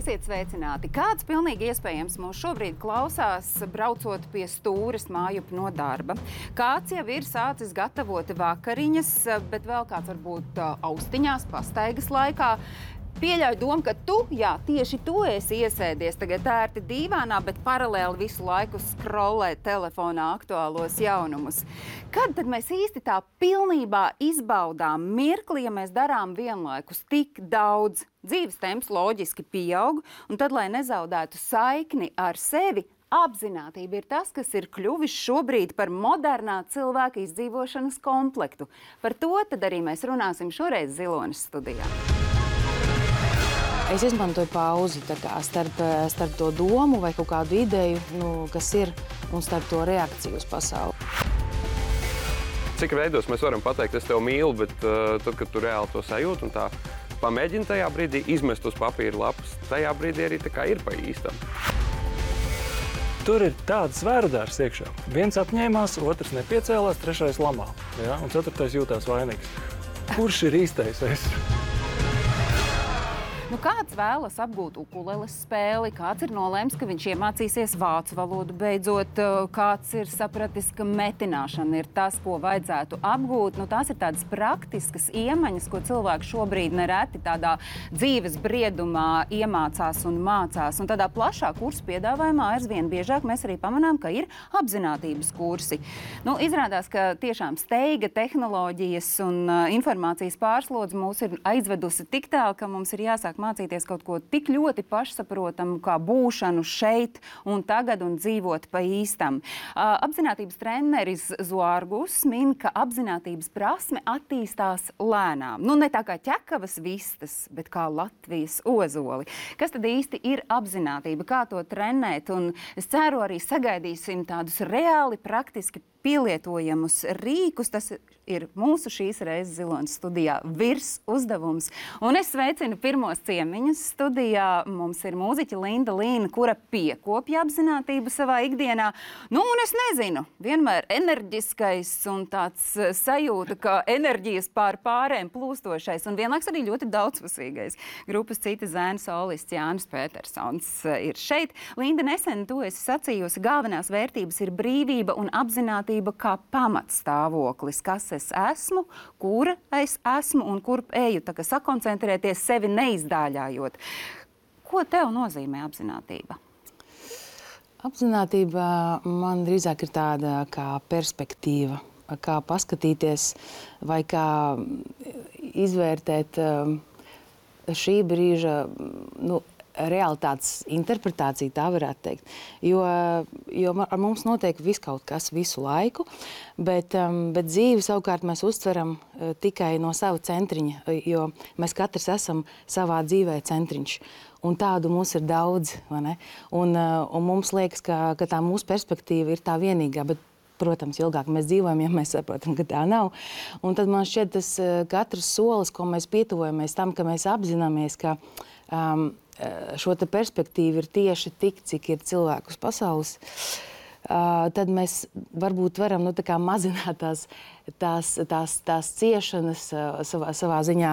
Esiet sveicināti! Kāds pilnīgi iespējams mūs šobrīd klausās, braucot pie stūres mājup no darba? Kāds jau ir sācis gatavot vakariņas, bet vēl kāds varbūt austiņās, pastaigas laikā? Pieļauju domu, ka tieši tu esi iesēdies tagad ērti dīvānā, bet paralēli visu laiku skrolē telefonā aktuālos jaunumus. Kad tad mēs īsti tā pilnībā izbaudām mirkli, ja mēs darām vienlaikus tik daudz? Dzīves temps loģiski pieaug, un tad, lai nezaudētu saikni ar sevi, apzinātība ir tas, kas ir kļuvis šobrīd par modernā cilvēka izdzīvošanas komplektu. Par to tad arī mēs runāsim šoreiz Zilones studijā. Es izmantoju pauzi starp to domu vai kaut kādu ideju, kas ir, un starp to reakciju uz pasauli. Cik veidos mēs varam pateikt, es tevi mīlu, bet tad, kad tu reāli to sajūti un tā pamēģini tajā brīdī izmest uz papīra lapas, tajā brīdī arī tā kā ir pa īstam. Tur ir tāds svērdārs iekšā. Viens apņēmās, otrs nepiecēlās, trešais lamā, ja? Un ceturtais jūtās vainīgs. Kurš ir īstais es? Kāds vēlas apgūt ukuleles spēli, kāds ir nolēms, ka viņš iemācīsies vācu valodu beidzot, kāds ir sapratis, ka metināšana ir tas, ko vajadzētu apgūt. Tās ir tādas praktiskas iemaņas, ko cilvēki šobrīd nereti tādā dzīves briedumā iemācās un mācās. Un tādā plašā kursu piedāvājumā aizvien biežāk mēs arī pamanām, ka ir apzinātības kursi. Izrādās, ka tiešām steiga, tehnoloģijas un informācijas pārslodze mūs ir aizvedusi tik tālu, ka mums ir jāsāk mācīties kaut ko tik ļoti pašsaprotamu, kā būšanu šeit un tagad un dzīvot pa īstam. Apzinātības treneris Zoārgus min, ka apzinātības prasme attīstās lēnām. Ne tā kā ķekavas vistas, bet kā Latvijas ozoli. Kas tad īsti ir apzinātība? Kā to trenēt? Un es ceru arī sagaidīsim tādus reāli praktiski pielietojamus rīkus. Tas ir mūsu šīs reizes Zilones studijā virs uzdevums. Un es sveicinu pirmos ciemiņus studijā. Mums ir mūziķa Linda Līna, kura piekopja apzinātību savā ikdienā. Un es nezinu, vienmēr enerģiskais un tāds sajūta, ka enerģijas pārēm plūstošais un vienlaiks arī ļoti daudzpusīgais. Grupas Cita zēna solists Jānis Petersons ir šeit. Linda, nesen tu esi sacījusi, galvenās vērtības ir brīvība un apzinātība kā pamatstāvoklis, kas es esmu, kura es esmu un kur eju, tā kā sakoncentrēties sevi neizdāļājot. Ko tev nozīmē apzinātība? Apzinātība man drīzāk ir tāda kā perspektīva, kā paskatīties vai kā izvērtēt šī brīža, realitātes interpretācija, tā varētu teikt. Jo ar mums notiek viskaut kas visu laiku, bet dzīvi savukārt mēs uztveram tikai no sava centriņa, jo mēs katrs esam savā dzīvē centriņš. Un tādu mums ir daudz, vai ne? Un mums liekas, ka tā mūsu perspektīva ir tā vienīgā, bet, protams, ilgāk mēs dzīvojam, ja mēs saprotam, ka tā nav. Un tad man šķiet, tas katrs solis, ko mēs pietuvojamies tam, ka mēs apzināmies, ka šo te perspektīvu ir tieši tik, cik ir cilvēku uz pasaules, tad mēs varbūt varam mazināt tās ciešanas savā ziņā,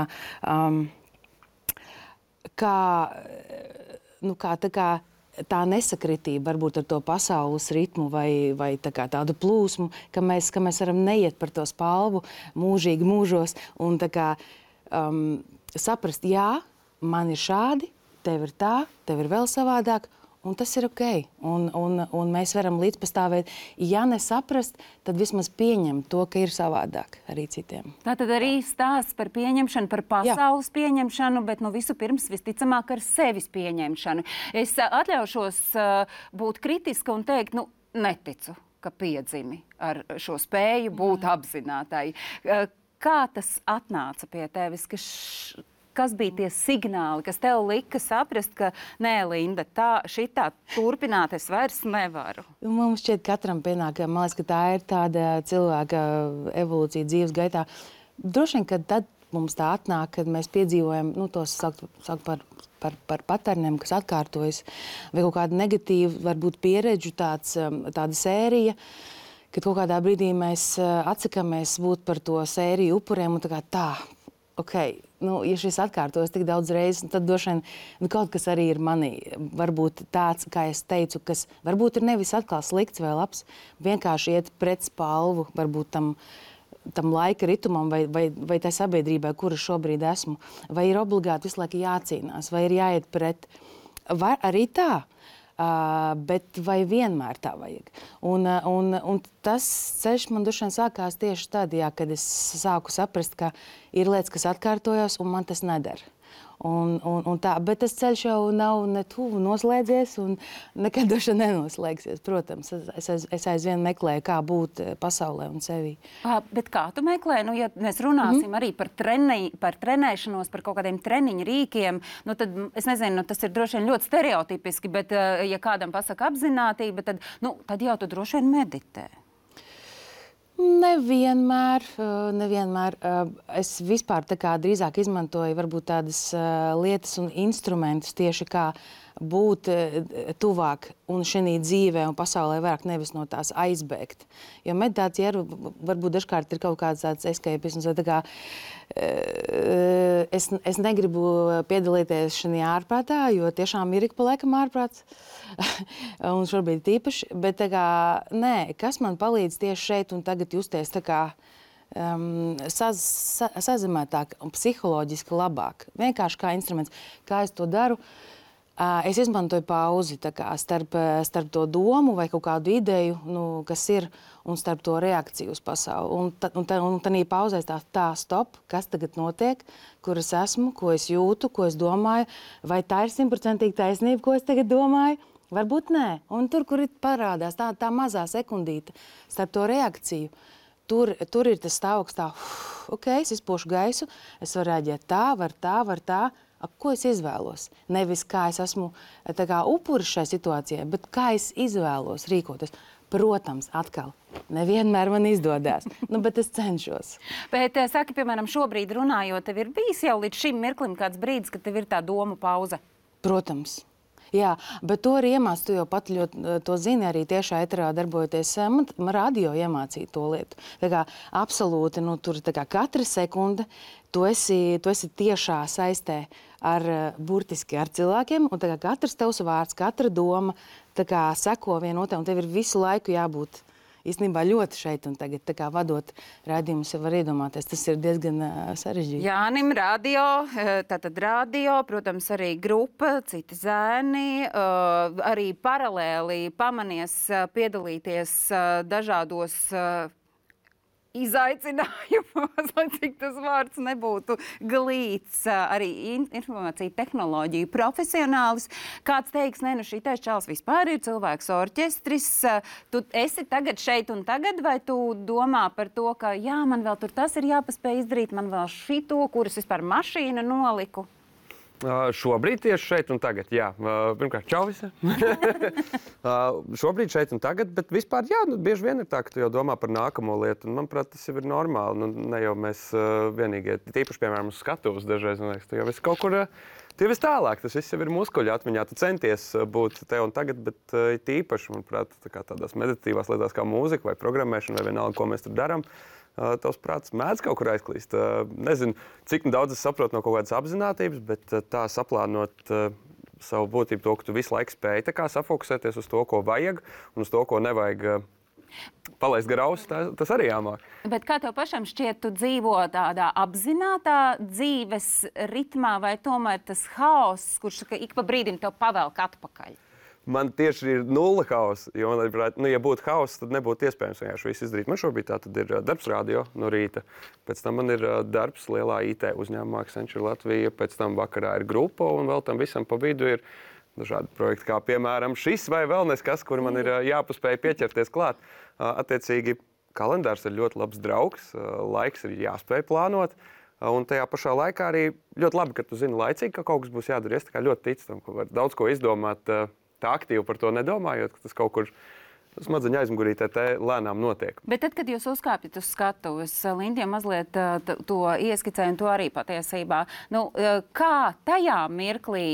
tā nesakritība varbūt ar to pasaules ritmu vai tādu plūsmu, ka mēs varam neiet par to spalvu mūžīgi mūžos un saprast, jā, man ir šādi, tev ir tā, tev ir vēl savādāk, un tas ir ok. Un mēs varam līdzpastāvēt. Ja nesaprast, tad vismaz pieņemt to, ka ir savādāk arī citiem. Tātad arī stāsts par pieņemšanu, par pasaules pieņemšanu, bet visu pirms visticamāk ar sevis pieņemšanu. Es atļaušos būt kritiska un teikt, neticu, ka piedzimi ar šo spēju būt apzinātai. Kā tas atnāca pie tevis, kas bija tie signāli, kas tev lika saprast, ka nē, Linda, šitā turpināt es vairs nevaru? Mums šķiet katram pienāk, man liekas, ka tā ir tāda cilvēka evolūcija dzīves gaitā. Droši vien, ka tad mums tā atnāk, kad mēs piedzīvojam, tos saukt par paterniem, kas atkārtojas, vai kaut kādu negatīvu, varbūt pieredžu tāda sērija, kad kaut kādā brīdī mēs atsakamies būt par to sēriju upuriem un ok, ja šis atkārtojas tik daudz reizes, tad droši vien kaut kas arī ir manī. Varbūt tāds, kā es teicu, kas varbūt ir nevis atkal slikts vai labs, vienkārši iet pret spalvu, varbūt tam laika ritumam vai tai sabiedrībai, kura šobrīd esmu. Vai ir obligāti visu laiku jācīnās, vai ir jāiet pret. Vai arī tā. Bet vai vienmēr tā vajag? Un tas ceļš man droši vien sākās tieši tad, kad es sāku saprast, ka ir lietas, kas atkārtojas, un man tas nedara. Un tā, bet tas ceļš jau nav ne tuvu noslēdzies un nekad droši nenoslēgsies. Protams, es aizvien meklēju, kā būt pasaulē un sevī. Bet kā tu meklē? Nu, ja mēs runāsim arī par trenēšanos, par kaut kādiem treniņu rīkiem, nu tad, es nezinu, tas ir droši vien ļoti stereotipiski, bet ja kādam pasaka apzinātība, tad jau tu droši vien meditē. Nevienmēr. Es vispār drīzāk izmantoju varbūt tādas lietas un instrumentus tieši kā būt tuvāk un šī dzīvē un pasaulē vairāk nevis no tās aizbēgt. Jo meditācija varbūt dažkārt ir kaut kāds tāds escapisms. Es negribu piedalīties šajā ārprātā, jo tiešām ir ik pa laikam ārprāts. Un šobrīd tīpaši. Bet nē, kas man palīdz tieši šeit un tagad justies sazemētāk un psiholoģiski labāk. Vienkārši kā instruments. Kā es to daru? Es izmantoju pauzi starp to domu vai kaut kādu ideju, kas ir, un starp to reakciju uz pasauli. Un tā pauzē tā stop, kas tagad notiek, kur es esmu, ko es jūtu, ko es domāju, vai tā ir 100% taisnība, ko es tagad domāju. Varbūt nē. Un tur, kur parādās tā mazā sekundīte starp to reakciju, tur ir tas stāvoklis ok, es izpošu gaisu, es varu reaģēt var tā. Ko es izvēlos? Nevis kā es esmu upuris šai situācijai, bet kā es izvēlos rīkoties. Protams, atkal, nevienmēr man izdodas, bet es cenšos. Bet saki, piemēram, šobrīd runājot, tev ir bijis jau līdz šim mirklim kāds brīdis, kad tev ir tā doma pauze? Protams. Jā, bet to arī iemāc, tu jau pat ļoti to zini, arī tiešā eterā darbojoties. Man radio iemācīja to lietu. Absolūti, tur katra sekunde tu esi tiešā saistē burtiski ar cilvēkiem, un katrs tavs vārds, katra doma seko vienotrai, un tev ir visu laiku jābūt īstenībā ļoti šeit un tagad vadot raidījumus, var iedomāties, tas ir diezgan sarežģīti. Jānim radio, tātad radio, protams, arī grupa, citi zēni, arī paralēli pamanies piedalīties dažādos izaicinājumos, lai cik tas vārds nebūtu glīts, arī informācija tehnoloģiju profesionālis. Kāds teiks, šī čalis vispār ir cilvēks orķestris. Tu esi tagad šeit un tagad, vai tu domā par to, ka jā, man vēl tur tas ir jāpaspēj izdarīt, man vēl šito, kuras vispār mašīna noliku? Šobrīd tieši šeit un tagad, jā. Pirmkārt, čau visi. Šobrīd šeit un tagad, bet vispār, jā, bieži vien ir tā, ka tu jau domā par nākamo lietu, un manuprāt, tas jau ir normāli. Ne jau mēs vienīgie, tīpaši, piemēram, uz skatuves dažreiz, man liekas, tu jau esi kaut kur, tu jau esi tālāk, tas viss jau ir muskuļu atmiņā, tu centies būt te un tagad, bet tīpaši, manuprāt, tādās meditatīvās lietās kā mūzika vai programmēšana vai vienalga, ko mēs tur darām, tavs prāts mēdz kaut kur aizklīst. Nezinu, cik daudz es saprotu no kaut kādas apzinātības, bet tā saplānot savu būtību to, ka tu visu laiku spēj safokusēties uz to, ko vajag, un uz to, ko nevajag palaist garausi, tas arī jāmāk. Bet kā tev pašam šķiet, tu dzīvo tādā apzinātā dzīves ritmā, vai tomēr tas haoss, kurš ik pa brīdim tev pavelk atpakaļ? Man tieši ir nulle hausa, jo, ja būtu hauss, tad nebūtu iespējams vienkārši visu izdarīt. Man šobrīd tā tad ir darbs radio no rīta, pēc tam man ir darbs lielā IT uzņēmumā Accenture Latvija, pēc tam vakarā ir grupa, un vēl tam visam pa vidu ir dažādi projekti, kā piemēram šis vai vēl neskas, kur man ir jāpaspēj pieķerties klāt. Attiecīgi, kalendārs ir ļoti labs draugs, laiks ir jāspēj plānot, un tajā pašā laikā arī ļoti labi, ka tu zini laicīgi, ka kaut kas būs jādara. Es ļoti ticu tam, ka var daudz ko izdomāt, tā aktīvi par to nedomājot, ka tas kaut kur smadzeņu aizmugurītē lēnām notiek. Bet tad, kad jūs uzkāpjat uz skatuves, Lindija mazliet to ieskicēja, un to arī patiesībā, kā tajā mirklī,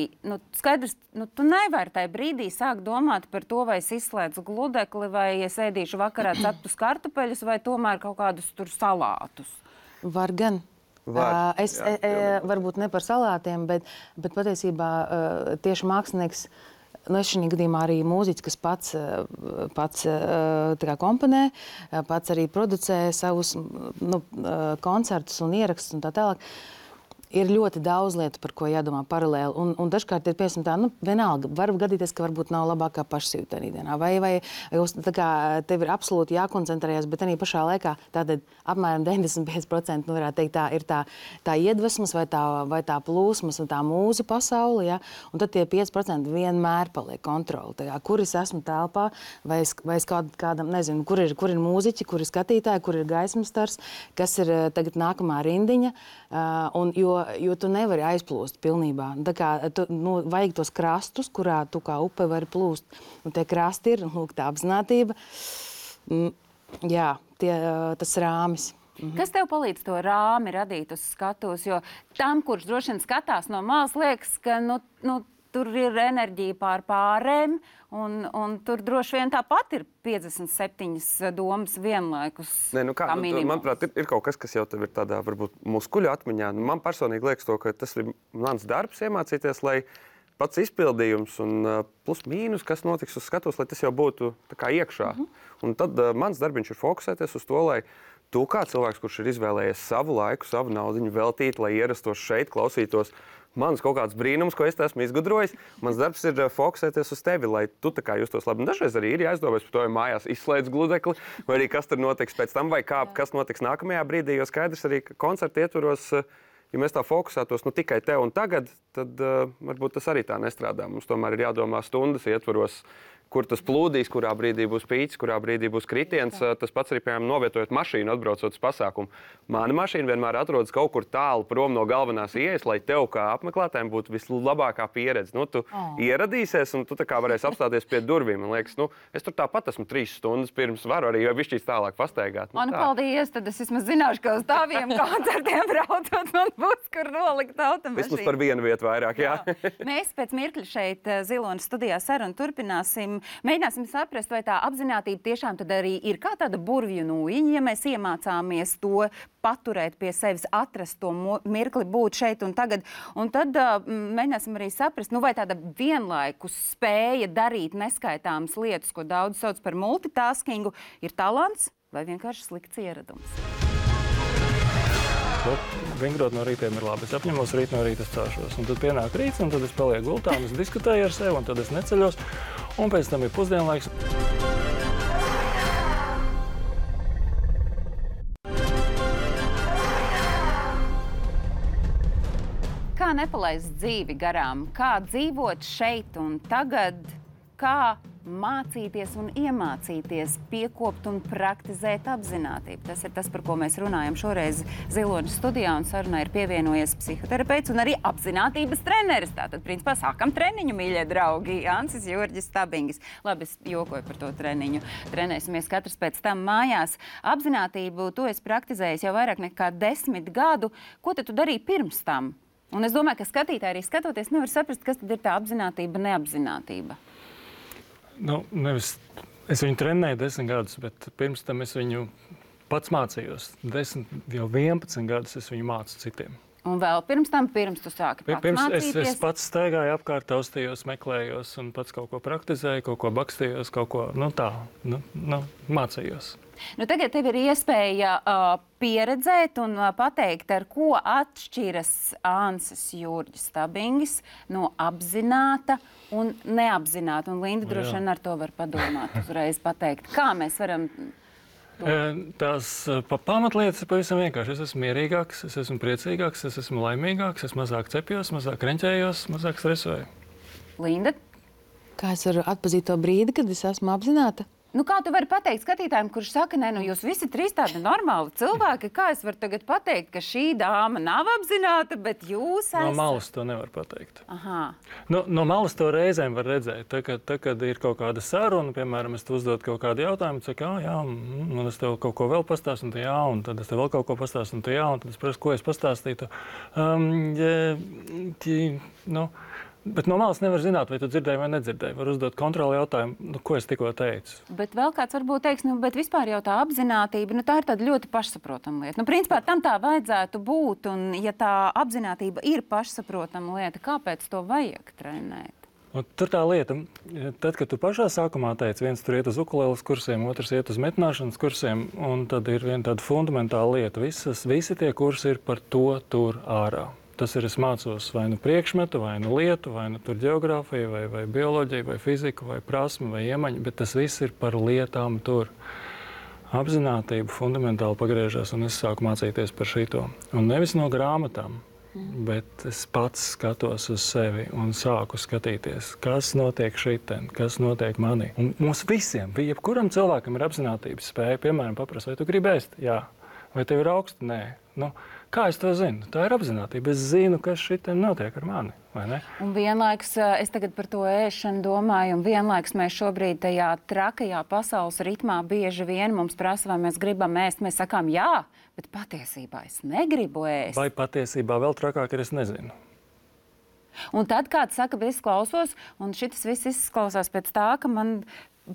skaidrs, tu nevari tajā brīdī sākt domāt par to, vai es izslēdzu gludekli, vai es ēdīšu vakarā ceptus kartupeļus, vai tomēr kaut kādus tur salātus? Var gan. Varbūt ne par salātiem, bet patiesībā tieši mākslinieks, es šī gadījumā arī mūziķis, kas pats tā kā komponē, pats arī producē savus koncertus un ierakstus un tā tālāk. Ir ļoti daudz lietu, par ko jādomā paralēli. Un dažkārt ir, piemēram, tā, vienalga, var gadīties, ka varbūt nav labākā pašsajūta arī dienā. Vai tā kā tev ir absolūti jākoncentrējas, bet arī pašā laikā tātad apmēram 95%, varētu teikt, tā ir tā iedvesmas vai tā plūsmas un tā mūza pasaule, ja? Un tad tie 5% vienmēr paliek kontroli. Tā, kur es esmu telpā, vai es kādam, nezinu, kur ir mūziķi, kur ir skatītāji, kur ir gaismas stars, kas ir tagad nākamā rindiņa, jo tu nevari aizplūst pilnībā. Tā kā vajag tos krastus, kurā tu kā upe vari plūst. Un tie krasti ir, tā apzinātība. Jā, tas rāmis. Kas tev palīdz to rāmi radīt uz skatuves? Jo tam, kurš droši vien skatās no malas, liekas, ka tur ir enerģija pārēm, un tur droši vien tāpat ir 57 domas vienlaikus. Manuprāt, ir kaut kas jau tev ir tādā varbūt muskuļu atmiņā. Man personīgi liekas to, ka tas ir mans darbs iemācīties, lai pats izpildījums un plus mīnus, kas notiks uz skatuves, lai tas jau būtu tā kā iekšā. Un tad mans darbiņš ir fokusēties uz to, lai tu kā cilvēks, kurš ir izvēlējies savu laiku, savu naudiņu veltīt, lai ierastos šeit, klausītos manas kaut kāds brīnums, ko es esmu izgudrojis. Mans darbs ir fokusēties uz tevi, lai tu tā kā justos labi. Un dažreiz arī ir jāizdomās par to, ja mājās izslēdz gludekli, vai arī kas tur notiks pēc tam, vai kas notiks nākamajā brīdī, jo skaidrs arī, ka koncerta ietvaros, ja mēs tā fokusētos tikai te un tagad, tad varbūt tas arī tā nestrādā. Mums tomēr ir jādomā stundas ietvaros, kur tas plūdīs, kurā brīdī būs pīķis, kurā brīdī būs kritiens. Tas pats arī, piemēram, novietojot mašīnu, atbraucot uz pasākumu. Mana mašīna vienmēr atrodas kaut kur tālu prom no galvenās ieejas, lai tev kā apmeklētājiem būtu vislabākā pieredze. Tu ieradīsies un tu tā kā varēsi apstāties pie durvīm. Man liekas, es tur tāpat esmu 3 stundas pirms varu arī višķīs tālāk pastaigāt. Paldies, tad es vismaz zināšu, ka uz taviem koncertiem braucot man būs, kur nolikt automašīnu. Vismaz par vienu vietu vairāk, jā. Mēs pēc mirkļa šeit Zilonas studijā sarunu turpināsim. Mēģināsim saprast, vai tā apzinātība tiešām tad arī ir kā tāda burvju nūjiņa, ja mēs iemācāmies to paturēt pie sevis, atrast to mirkli, būt šeit un tagad. Un tad mēģināsim arī saprast, vai tāda vienlaikus spēja darīt neskaitāmas lietas, ko daudz sauc par multitaskingu, ir talants vai vienkārši slikts ieradums. Vingrot no rītiem ir labi. Es apņemos rīt no rīta celšos. Un tad pienāk rīts, un tad es palieku gultā, un es diskutēju ar sevi, un tad es neceļos. Un pēc tam ir pusdienlaiks. Kā nepalaist dzīvi garām? Kā dzīvot šeit un tagad? Kā mācīties un iemācīties piekopt un praktizēt apzinātību? Tas ir tas, par ko mēs runājam šoreiz Zilonas studijā, un sarunā ir pievienojies psihoterapeits un arī apzinātības treneris. Tātad, principā, sākam treniņu, mīļie draugi, Ansis Jurģis Stabingis. Labi, es jokoju par to treniņu. Trenēsimies katrs pēc tam mājās. Apzinātību tu esi praktizējis jau vairāk nekā 10 gadu. Ko tad tu darīji pirms tam? Un es domāju, ka skatītāji arī skatoties nevar saprast, kas tad ir tā apzinātība, neapzinātība. Es viņu trenēju 10 gadus, bet pirms tam es viņu pats mācījos. 11 gadus es viņu mācu citiem. Un vēl pirms tu sāki pats mācīties? Es pats staigāju apkārt, taustījos, meklējos un pats kaut ko praktizēju, kaut ko bakstījos, kaut ko mācījos. Tagad tev ir iespēja pieredzēt un pateikt, ar ko atšķiras Ansis Jurģis Stabingis no apzināta un neapzināta. Un Linda droši vien ar to var padomāt, uzreiz pateikt. Kā mēs varam... Tās pamatlietas ir pavisam vienkārši. Es esmu mierīgāks, es esmu priecīgāks, es esmu laimīgāks, es mazāk cepjos, mazāk reņķējos, mazāk stresoju. Linda? Kā es varu atpazīt to brīdi, kad es esmu apzināta? Kā tu vari pateikt skatītājiem, kurš saka, jūs visi 3 tādi normāli cilvēki, kā es varu tagad pateikt, ka šī dāma nav apzināta, bet jūs esat? No malas to nevar pateikt. Aha. No malas to reizēm var redzēt. Tad, kad ir kaut kāda saruna, piemēram, es te uzdodu kaut kādu jautājumu, saku, un es tev kaut ko vēl pastāstu, un tad es tev vēl kaut ko pastāstu, un tad es prasu, ko es pastāstītu. Bet no malas nevar zināt, vai tu dzirdēji vai nedzirdēji. Var uzdot kontroli jautājumu, ko es tikko teicu. Bet vēl kāds varbūt teiks, bet vispār jau tā apzinātība, tā ir tāda ļoti pašsaprotama lieta. Principā tam tā vajadzētu būt, un ja tā apzinātība ir pašsaprotama lieta, kāpēc to vajag trenēt? Un tur tā lieta, tad, kad tu pašā sākumā teici, viens tur iet uz ukulēles kursiem, otrs iet uz metināšanas kursiem, un tad ir viena tāda fundamentāla lieta. Visi tie kursi ir par to tur ārā. Tas ir, es mācos vai nu priekšmetu, vai nu lietu, vai nu tur ģeogrāfiju, vai bioloģiju, vai fiziku, vai prasmi, vai iemaņu, bet tas viss ir par lietām tur. Apzinātība fundamentāli pagriežas, un es sāku mācīties par šito. Un nevis no grāmatām, bet es pats skatos uz sevi un sāku skatīties, kas notiek šitien, kas notiek manī. Un mums visiem, jebkuram cilvēkam ir apzinātības spēja, piemēram, paprast, vai tu gribi ēst? Jā. Vai tev ir augsti? Nē. Kā es to zinu? Tā ir apzinātība. Es zinu, kas šitien notiek ar mani, vai ne? Un vienlaikus es tagad par to ēšanu domāju, un vienlaikus mēs šobrīd tajā trakajā pasaules ritmā bieži vien mums prasa, vai mēs gribam ēst. Mēs sakām jā, bet patiesībā es negribu ēst. Vai patiesībā vēl trakāk ir, es nezinu. Un tad kāds saka, bet es klausos, un šitas viss izklausās pēc tā, ka man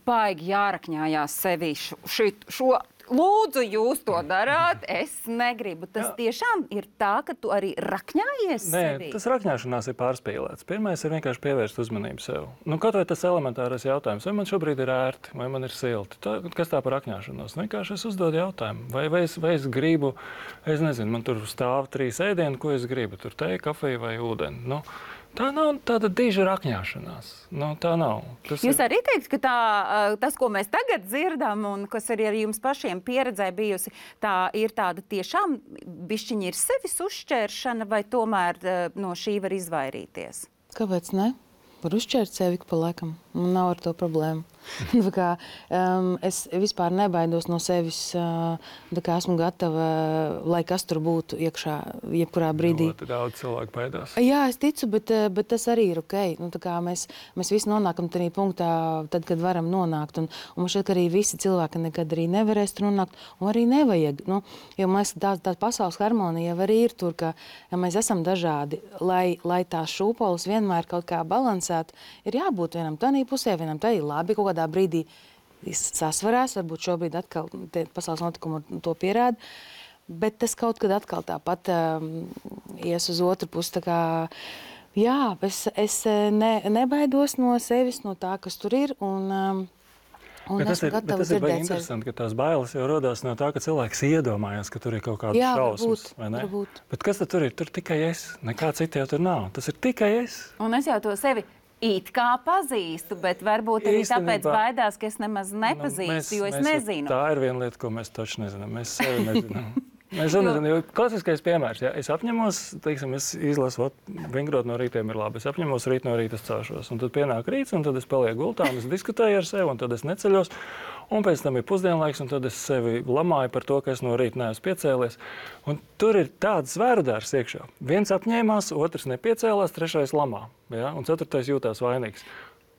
baigi jārakņājās sevi šo. Lūdzu, jūs to darāt, es negribu. Tas tiešām ir tā, ka tu arī rakņājies sevi? Nē, tas rakņāšanās ir pārspīlēts. Pirmais ir vienkārši pievērst uzmanību sev. Kaut vai tas elementārais jautājums, vai man šobrīd ir ērti, vai man ir silti. Kas tā par rakņāšanos? Vienkārši es uzdodu jautājumu. Vai es gribu, es nezinu, man tur stāv 3 ēdienu, ko es gribu? Tur teju, kafiju vai ūdeni? Tā nav tāda diža rakņāšanās. Tā nav. Jūs arī teikt, ka tas, ko mēs tagad dzirdam, un kas arī ar jums pašiem pieredzē bijusi, tā ir tāda tiešām bišķiņi ir sevis uzšķēršana, vai tomēr no šī var izvairīties? Kāpēc ne? Var uzšķērt sevi pa laikam. Man nav ar to problēmu. Es vispār nebaidos no sevis, esmu gatava, lai kas tur būtu iekšā, jebkurā brīdī. Ļoti daudz cilvēku baidās. Jā, es ticu, bet tas arī ir ok. Mēs visi nonākam tajā punktā, tad, kad varam nonākt. Un man šķiet, ka arī visi cilvēki nekad arī nevarēs tur nonākt, un arī nevajag. Jo mēs tā pasaules harmonija arī ir tur, ka ja mēs esam dažādi, lai tās šūpoles vienmēr kaut kā balansētu, ir jābūt vienam tādā pusē, vienam tādā labi, kaut kādā brīdī sasvarās, varbūt šobrīd atkal pasaules notikumi to pierāda, bet tas kaut kad atkal tāpat ies uz otru pusi. Tā kā, jā, es nebaidos no sevis, no tā, kas tur ir, un tas ir interesanti, ka tās bailes jau rodās no tā, ka cilvēks iedomājas, ka tur ir kaut kādas šausmas, vai ne? Varbūt. Bet kas tad tur ir? Tur tikai es. Nekā cita jau tur nav. Tas ir tikai es. Un es jau to sevi it kā pazīstu, bet varbūt arī tāpēc baidās, ka es nemaz nepazīstu, jo es nezinu. Tā ir viena lieta, ko mēs taču nezinām. Mēs sevi nezinām. Mēs nezinām, jo klasiskais piemērs, ja es apņemos, teiksim, es izlasu, vingrot no rītiem ir labi, es apņemos rīt no rīta celšos, un tad pienāk rīts, un tad es palieku gultā, un es diskutēju ar sevi, un tad es neceļos, un pēc tam ir pusdienlaiks, un tad es sevi lamāju par to, ka es no rīta neesmu piecēlies. Un tur ir tāds zvērudārs iekšā. Viens apņēmās, otrs nepiecēlās, trešais lamā, ja? Un ceturtais jūtās vainīgs.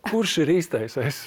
Kurš ir īstais es?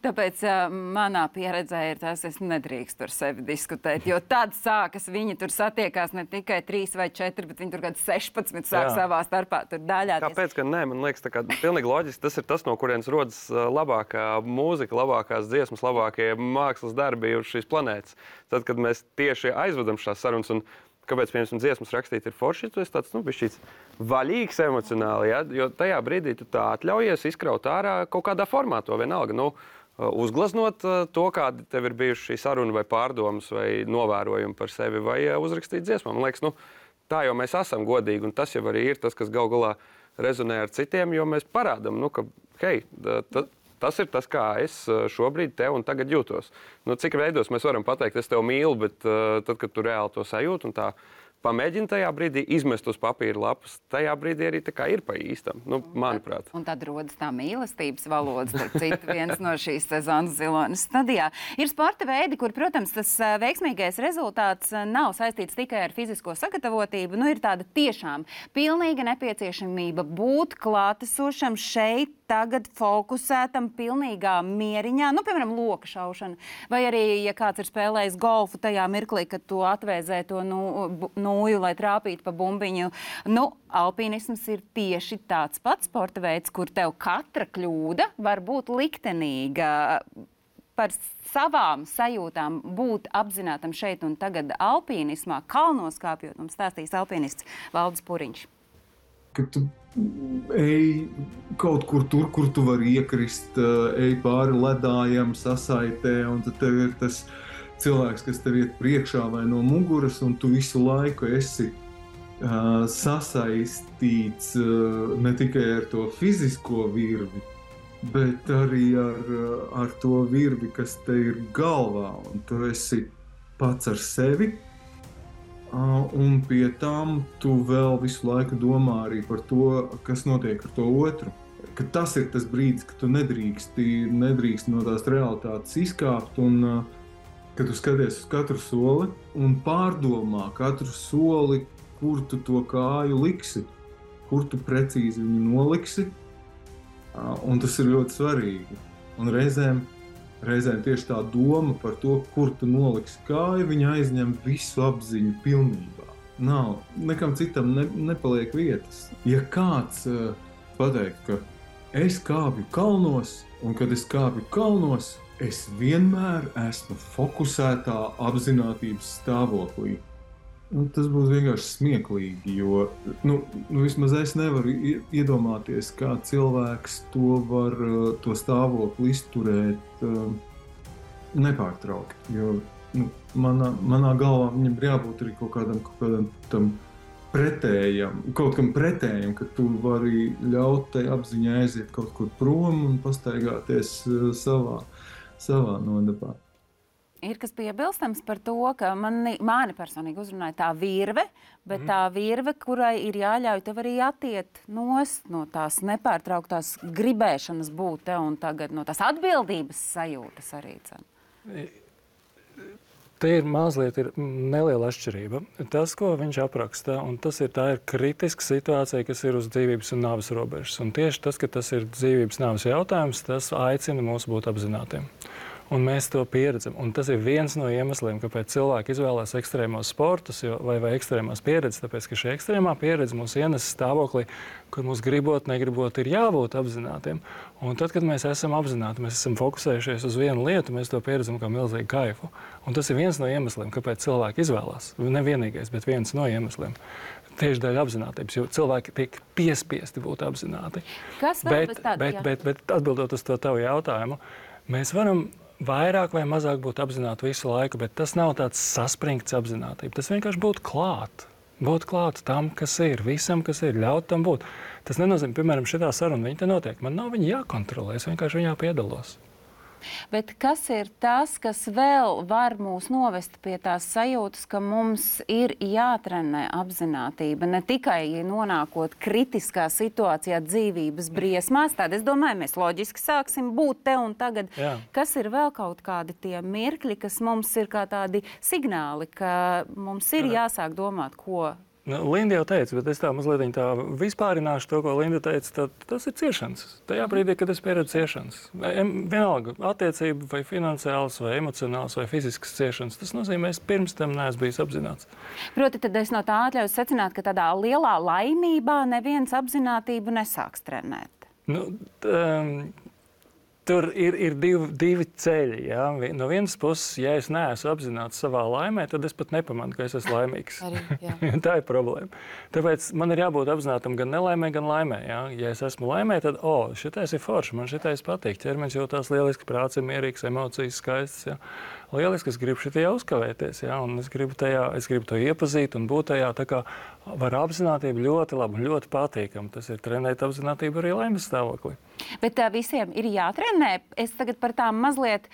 Tāpēc manā pieredzē ir tas, es nedrīkstu ar sevi diskutēt, jo tad sākas, viņi tur satiekās ne tikai 3 vai 4, bet viņi tur kāds 16 sāk savā starpā tur daļāties. Kāpēc, ka nē, man liekas, tā kā pilnīgi loģiski, tas ir tas, no kurienes rodas labākā mūzika, labākās dziesmas, labākie mākslas darbi uz šīs planētas. Tad, kad mēs tieši aizvedam šās sarunas, un kāpēc, piemēram, dziesmas rakstīt ir forši, tu esi tāds, bišķīts vaļīgs emocionāli, ja? Jo tajā brīdī tu tā atļaujies izkraut ārā kaut kādā formātā, vienalga, uzgleznot to, kāda tev ir bijuši šī saruna vai pārdomas vai novērojumi par sevi vai uzrakstīt dziesmā. Man liekas, tā jau mēs esam godīgi, un tas jau arī ir tas, kas gal galā rezonē ar citiem, jo mēs parādam, ka, hei, tas ir tas, kā es šobrīd tev un tagad jūtos. Cik veidos mēs varam pateikt, es tev mīlu, bet tad, kad tu reāli to sajūti un tā pamēģini tajā brīdī izmest uz papīra lapas, tajā brīdī arī tā kā ir pa īstam, manuprāt. Un tad rodas tā mīlestības valoda, starp citu, viens no šīs sezonas Zilonas studijā. Ir sporta veidi, kur, protams, tas veiksmīgais rezultāts nav saistīts tikai ar fizisko sagatavotību. Ir tāda tiešām pilnīga nepieciešamība būt klātesošam šeit, tagad fokusētam, pilnīgā mieriņā, piemēram, loka šaušana. Vai arī, ja kāds ir spēlējis golfu tajā mirklī, kad tu atvēzē to nūju, lai trāpītu pa bumbiņu. Nu, alpīnisms ir tieši tāds pats sporta veids, kur tev katra kļūda var būt liktenīga. Par savām sajūtām būt apzinātam šeit un tagad alpīnismā, kalnos kāpjot, mums stāstīs alpīnists Valdis Puriņš. Kad tu ej kaut kur tur, kur tu vari iekrist, ej pāri ledājam, sasaitē, un tad tev ir tas cilvēks, kas tev iet priekšā vai no muguras, un tu visu laiku esi sasaistīts ne tikai ar to fizisko virvi, bet arī ar to virvi, kas te ir galvā, un tu esi pats ar sevi, un pie tām tu vēl visu laiku domā arī par to, kas notiek ar to otru. Ka tas ir tas brīdis, ka tu nedrīkst no tās realitātes izkāpt, un kad tu skaties uz katru soli un pārdomā katru soli, kur tu to kāju liksi, kur tu precīzi viņu noliksi. Un tas ir ļoti svarīgi. Un reizēm tieši tā doma par to, kur tu noliksi kāju, viņa aizņem visu apziņu pilnībā. Nav, nekam citam nepaliek vietas. Ja kāds pateikt, ka es kāpju kalnos, un kad es kāpju kalnos, es vienmēr esmu fokusētā apzinātības stāvoklī. Tas būs vienkārši smieklīgi, jo vismaz es nevaru iedomāties, kā cilvēks to stāvokli izturēt nepārtraukti. Jo manā galvā viņam ir jābūt arī kaut kādam tam pretējam, kaut kam pretējam, ka tu vari ļaut tai apziņai aiziet kaut kur prom un pastaigāties savā nodabā. Ir kas piebilstams par to, ka mani personīgi uzrunāja tā virve, bet tā virve, kurai ir jāļauj tev arī attiet nost no tās nepārtrauktās gribēšanas būt te un tagad, no tās atbildības sajūtas arī. Te ir mazliet neliela atšķirība. Tas, ko viņš apraksta, un tā ir kritiska situācija, kas ir uz dzīvības un nāves robežas. Un tieši tas, ka tas ir dzīvības nāves jautājums, tas aicina mūs būt apzinātiem. Un mēs to pieredzam. Un tas ir viens no iemesliem, kāpēc cilvēki izvēlās ekstrēmos sportus vai ekstrēmās pieredzes, tāpēc, ka šī ekstrēmā pieredze mūs ienes stāvoklī, kur mums gribot, negribot, ir jābūt apzinātiem. Un tad, kad mēs esam apzināti, mēs esam fokusējušies uz vienu lietu, mēs to pieredzam kā milzīgu kaifu. Un tas ir viens no iemesliem, kāpēc cilvēki izvēlās. Ne vienīgais, bet viens no iemesliem. Tieši dēļ apzinātības, jo cilvēki tiek piespiesti būt apzināti. Kas vēl bez tāda? Bet atbildot uz to tavu jautājumu, mēs varam vairāk vai mazāk būt apzināti visu laiku, bet tas nav tāds saspringts apzinātība. Tas vienkārši būt klāt. Būt klāt tam, kas ir, visam, kas ir, ļaut tam būt. Tas nenozīmē, piemēram, šitā saruna, viņa te notiek. Man nav viņa jākontrolē, es vienkārši viņā piedalos. Bet kas ir tas, kas vēl var mūs novest pie tās sajūtas, ka mums ir jātrenē apzinātība, ne tikai nonākot kritiskā situācijā dzīvības briesmās, tad es domāju, mēs loģiski sāksim būt te un tagad. Jā. Kas ir vēl kaut kādi tie mirkļi, kas mums ir kā tādi signāli, ka mums ir jāsāk domāt, ko... Linda jau teica, bet es tā mazliet tā vispārināšu to, ko Linda teica, tas ir ciešanas. Tajā brīdī, kad es pieredzu ciešanas. Vienalga, attiecība vai finansiāls, vai emocionāls, vai fizisks ciešanas, tas nozīmē, es pirms tam neesmu bijis apzināts. Proti, tad es no tā atļauju secināt, ka tādā lielā laimībā neviens apzinātību nesāks trenēt. Tur ir divi ceļi. Ja? No vienas puses, ja es neesmu apzināts savā laimē, tad es pat nepamanu, ka es esmu laimīgs. Tā ir problēma. Tāpēc man ir jābūt apzinātam gan nelaimē, gan laimē. Ja, ja es esmu laimē, tad, šitais ir forši, man šitais patīk. Ķermenis jūtās lieliski, prāts ir mierīgs, emocijas skaistas. Ja. Lieliski, es gribu šitajā uzkavēties, ja, un es gribu to iepazīt un būt tajā. Tā kā var apzinātība ļoti labi un ļoti patīkam. Tas ir trenēt apzinātību arī laimes stāvoklī. Bet visiem ir jātrenē. Es tagad par tām mazliet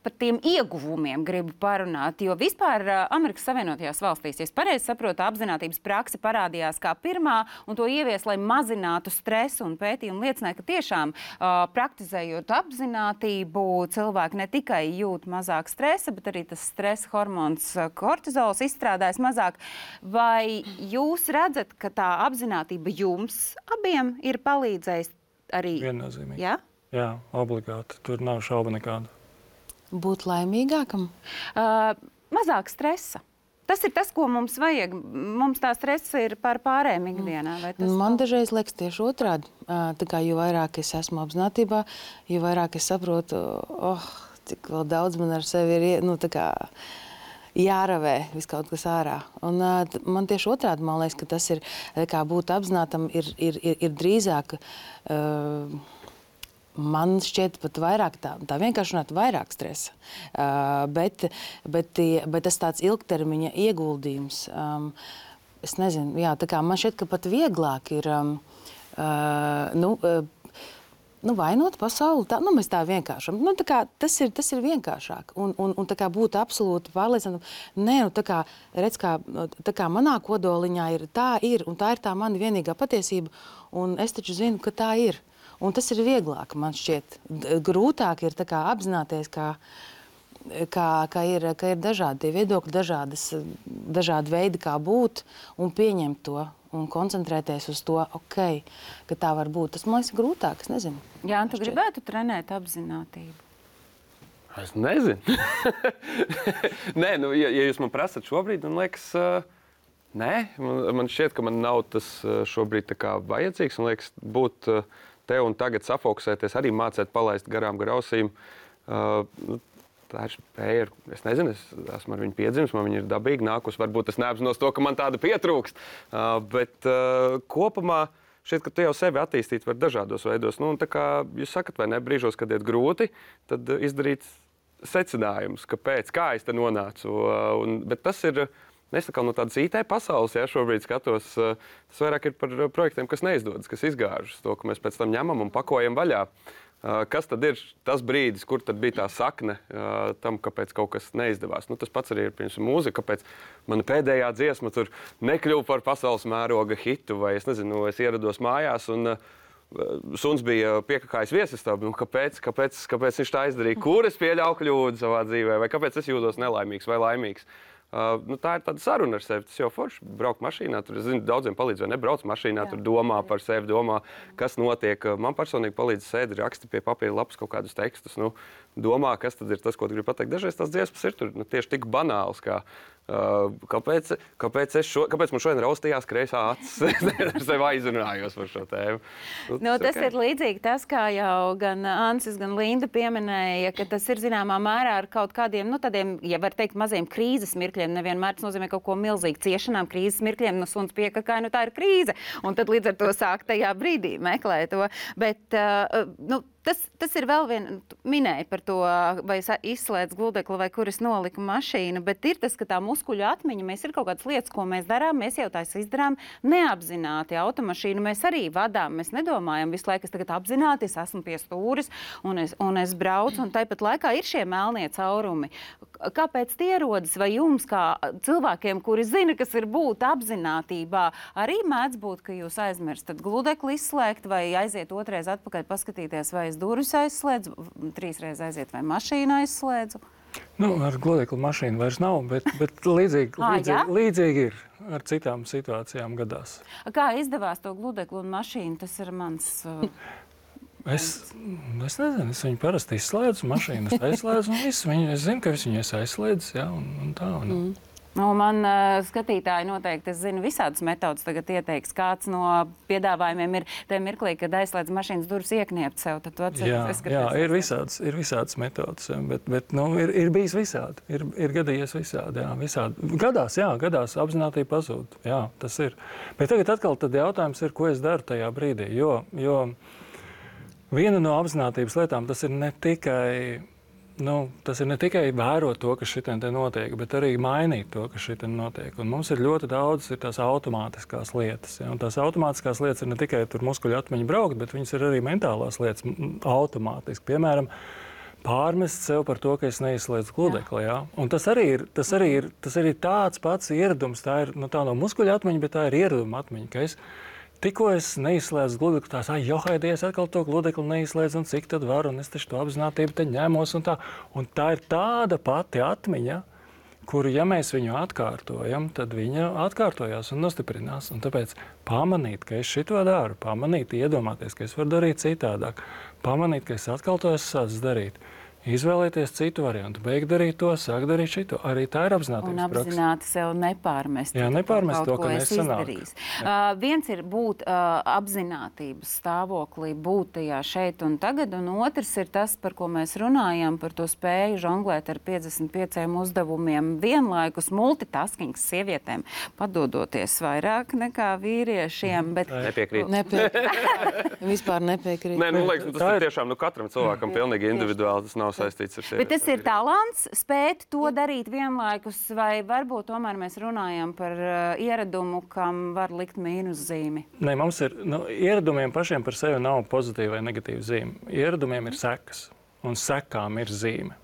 par tiem ieguvumiem gribu parunāt, jo vispār Amerikas Savienotajās valstīs, ja es pareizi saprotu, apzinātības prakse parādījās kā pirmā un to ievies, lai mazinātu stresu, un pētījumi liecināja, ka tiešām praktizējot apzinātību, cilvēki ne tikai jūt mazāk stresa, bet arī tas stresa hormons kortizols izstrādājas mazāk. Vai jūs redzat, ka tā apzinātība jums abiem ir palīdzējis arī? Viennozīmīgi. Ja? Jā, obligāti. Tur nav šauba nekāda. Būt laimīgākam? Mazāk stresa. tas ir tas, ko mums vajag. Mums tā stress ir par pārējiem ikdienā. Man dažreiz liekas tieši otrādi. Tā kā jo vairāk es esmu apzinātībā, jo vairāk es saprotu, cik vēl daudz man ar sevi ir, tā kā jāravē vis kaut kas ārā. Un man tieši otrādi, man liekas, ka tas ir, kā būt apzinātam, ir drīzāk, man šķiet pat vairāk tā vienkārši runāt vairāk stresa, bet tas tāds ilgtermiņa ieguldījums. Es nezinu, jā, tā kā man šķiet, ka pat vieglāk ir vainot pasauli. Mēs tā vienkāršam. Tā kā tas ir vienkāršāk. Un tā kā būt absolūti pārliecinātam. Nē, redz, tā kā manā kodoliņā ir, un tā ir tā mana vienīgā patiesība. Un es taču zinu, ka tā ir. Un tas ir vieglāk, man šķiet. Grūtāk ir tā kā apzināties, ka ir dažādi tie viedokļi, dažādi veidi, kā būt, un pieņemt to, un koncentrēties uz to, ka tā var būt. Tas, man liekas, grūtāk, es nezinu. Jā, un tu gribētu trenēt apzinātību? Es nezinu. Nē, ja jūs man prasat šobrīd, man liekas, nē. Man šķiet, ka man nav tas šobrīd tā kā vajadzīgs. Man liekas, būt te un tagad safokusēties, arī mācēt palaist garām ausīm. Tā ir spēja. Es nezinu, es esmu ar viņu piedzimis, man viņa ir dabīgi nākus. Varbūt es neapzinos to, ka man tāda pietrūkst. Bet kopumā šķiet, ka tu jau sevi attīstīt var dažādos veidos. Tā kā jūs sakat, vai ne, brīžos, kad iet grūti, tad izdarīt secinājumus, kāpēc, kā es te nonācu. Bet tas ir... Es tā kā no tādas IT pasaules, šobrīd skatos, tas vairāk ir par projektiem, kas neizdodas, kas izgāžas, to, ka mēs pēc tam ņemam un pakojam vaļā. Kas tad ir tas brīdis, kur tad bija tā sakne tam, kāpēc kaut kas neizdevās? Tas pats arī ir, piemēram, mūzika, kāpēc mana pēdējā dziesma tur nekļuva par pasaules mēroga hitu, vai es nezinu, es ierados mājās un suns bija piekakājis viesistabā. Kāpēc viņš tā izdarīja? Kur es pieļauju kļūdu savā dzīvē? Vai kāpēc es jūtos nelaimīgs vai laimīgs? Tā ir tāda saruna ar sevi. Tas jau forši braukt mašīnā. Tur, es zinu, daudziem palīdz, vai nebrauc mašīnā, tur domā par sevi, domā, kas notiek. Man personīgi palīdz sēdi, raksti pie papīra lapas kaut kādus tekstus. Domā, kas tad ir tas, ko tu gribi pateikt. Dažreiz tās dziesmas ir tur tieši tik banāls, kā kāpēc man šodien raustījās kreisā acis. Ar sevi aizrunājos par šo tēmu. Tas ir līdzīgi tas, kā jau gan Ansis, gan Linda pieminēja, ka tas ir zināmā mērā ar kaut kādiem, tādiem, ja var teikt, maziem krīzes mirkļiem. Nevienmēr tas nozīmē kaut ko milzīgu ciešanām, krīzes mirkļiem, suns piekakāja, tā ir krīze. Un tad līdz ar to sāk tajā brīdī meklēt to. Bet, tas ir vēl viena, minēja par to, vai izslēdz gludekli, vai kur es noliku mašīnu, bet ir tas, ka tā muskuļu atmiņa, mēs ir kaut kādas lietas, ko mēs darām, mēs jau tās izdarām neapzināti. Automašīnu mēs arī vadām, mēs nedomājam visu laiku, es tagad apzināti, es esmu pie stūris un es braucu, un tāpat laikā ir šie melnie caurumi. Kāpēc tie rodas? Vai jums, kā cilvēkiem, kuri zina, kas ir būt apzinātībā, arī mēdz būt, ka jūs aizmirstat gludekli izslēgt, vai aiziet otrais atpakaļ paskatīties, vai es durvis aizslēdzu, 3 reizes aiziet, vai mašīnu aizslēdzu? Ar gludekli mašīnu vairs nav, bet līdzīgi ir ar citām situācijām gadās. Kā izdevās to gludekli un mašīnu? Tas ir mans... Es nezinu, es viņu parasti izslēdzu, mašīnas aizslēdzu un visu. Es zinu, ka es viņu aizslēdzu, un tā. Man skatītāji noteikti, es zinu, visādas metodas tagad ieteiks. Kāds no piedāvājumiem ir tajā mirklī, kad aizslēdz mašīnas durvis iekniept sev. Tad tu atceries, ir visādas metodas, bet ir bijis visādi. Ir gadījies visādi, visādi. Gadās apzinātība pazūd. Jā, tas ir. Bet tagad atkal tad jautājums ir, ko es daru tajā brīdī, jo viena no apzinātības lietām tas ir ne tikai vērot to, kas šitien te notiek, bet arī mainīt to, kas šitien notiek. Un mums ir ļoti daudz tās automātiskās lietas. Ja? Un tās automātiskās lietas ir ne tikai tur muskuļu atmiņa braukt, bet viņas ir arī mentālās lietas automātiski. Piemēram, pārmest sev par to, ka es neizslēdzu gludekli. Ja? Un tas arī ir tāds pats ieradums. Tā ir tā no muskuļu atmiņa, bet tā ir ieraduma atmiņa, ka tikko es neizslēdzu gludekli, Haidie, atkal to gludekli neizslēdzu, un cik tad var, un es taču to apzinātību te ņemos, un tā. Un tā ir tāda pati atmiņa, kuru, ja mēs viņu atkārtojam, tad viņa atkārtojās un nostiprinās. Un tāpēc pamanīt, ka es šito daru, pamanīt, iedomāties, ka es varu darīt citādāk, pamanīt, ka es atkal to esmu sācis darīt. izvēlēties citu variantu, beigt darīt to, sāk darīt šito. Arī tā ir apzinātības Un apzināti sev nepārmest. Jā, nepārmest to, kaut ka ko esi nesanāk. izdarījis. Viens ir būt apzinātības stāvoklī, būt tajā šeit un tagad, un otrs ir tas, par ko mēs runājam, par to spēju žonglēt ar 55 uzdevumiem vienlaikus, multitaskings sievietēm, padodoties vairāk nekā vīriešiem, bet Nepiekrīt. Vispār nepiekrīt. Nē, liekas, tas ir tiešām katram cilvēkam pilnīgi individuāli. Tas nav saistīts ar sevi. Bet tas ir talants, spēt to darīt vienlaikus, vai varbūt tomēr mēs runājam par ieradumu, kam var likt mīnuszīmi? Nē, mums ir, ieradumiem pašiem par sevi nav pozitīva vai negatīva zīme. Ieradumiem ir sekas, un sekām ir zīme.